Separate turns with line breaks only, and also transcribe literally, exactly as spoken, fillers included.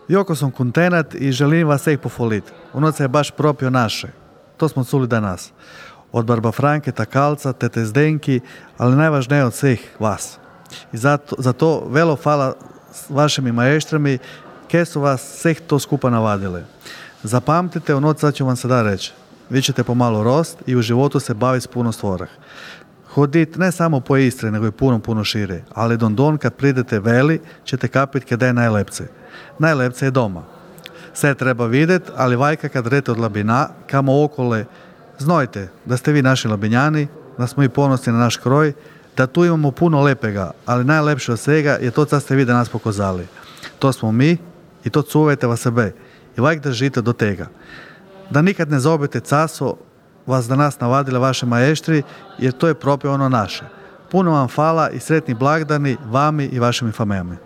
Joko sam kontenat i želim vas sveh pofoliti. Unoc je baš propio naše. To smo čuli danas. Od Barba Franke, Takalca, Tete Zdenki, ali najvažnije od svih vas. I zato, zato velo hvala vašim majestrami, ke su vas sveh to skupa navadile. Zapamtite, u noć sad ću vam sada reći. Vi ćete pomalo rost i u životu se baviti s puno stvorah. Hodit ne samo po Istri, nego i puno, puno šire. Ali don don kad pridete veli, ćete kapit kada je najlepce. Najlepce je doma. Sve treba vidjet, ali vajka kad rete od Labina, kamo okole, znojte da ste vi naši Labinjani, da smo i ponosni na naš kroj, da tu imamo puno lepega, ali najlepše od svega je to co ste vi danas pokazali. To smo mi i to cuvajte vas sebe i vajk držite do tega. Da nikad ne zaobite caso vas danas navadile vaše maještri, jer to je propio ono naše. Puno vam hvala i sretni blagdani vami i vašim famijama.